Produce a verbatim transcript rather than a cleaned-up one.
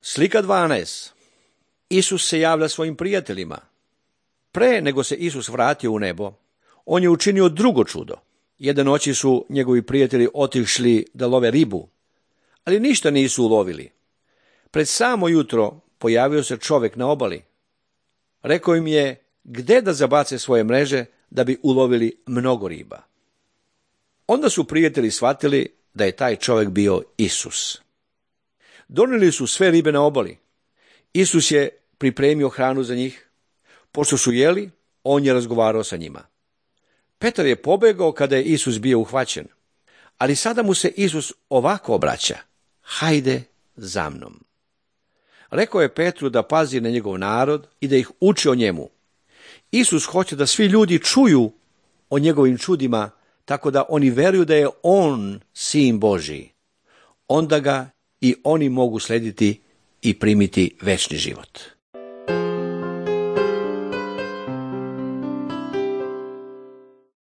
Slika dvanaest. Isus se javlja svojim prijateljima. Pre nego se Isus vratio u nebo, on je učinio drugo čudo. Jedne noći su njegovi prijatelji otišli da love ribu, ali ništa nisu ulovili. Pred samo jutro pojavio se čovjek na obali. Rekao im je gde da zabace svoje mreže da bi ulovili mnogo riba. Onda su prijatelji shvatili da je taj čovjek bio Isus. Donijeli su sve ribe na obali. Isus je pripremio hranu za njih. Pošto su jeli, on je razgovarao sa njima. Petar je pobegao kada je Isus bio uhvaćen, ali sada mu se Isus ovako obraća: hajde za mnom. Rekao je Petru da pazi na njegov narod i da ih uči o njemu. Isus hoće da svi ljudi čuju o njegovim čudima, tako da oni veruju da je on sin Božji. Onda ga i oni mogu slediti i primiti večni život.